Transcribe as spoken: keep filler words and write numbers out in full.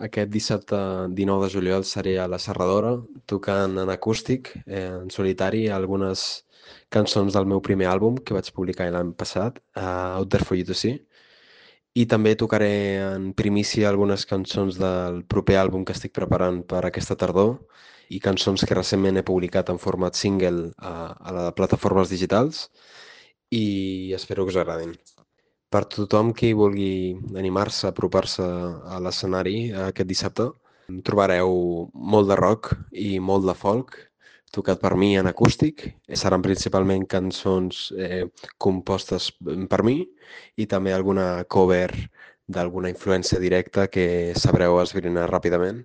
Aquest dissabte dinou de juliol seré a la Serradora tocant en acústic, eh, en solitari, algunes cançons del meu primer àlbum que vaig publicar l'any passat, uh, Out There For You To See, i també tocaré en primícia algunes cançons del proper àlbum que estic preparant per aquesta tardor i cançons que recentment he publicat en format single a, a les plataformes digitals i espero que us agradin. Per tothom qui vulgui animar-se a apropar-se a l'escenari aquest dissabte, trobareu molt de rock i molt de folk tocat per mi en acústic. Seran principalment cançons eh, compostes per mi i també alguna cover d'alguna influència directa que sabreu esbrinar ràpidament.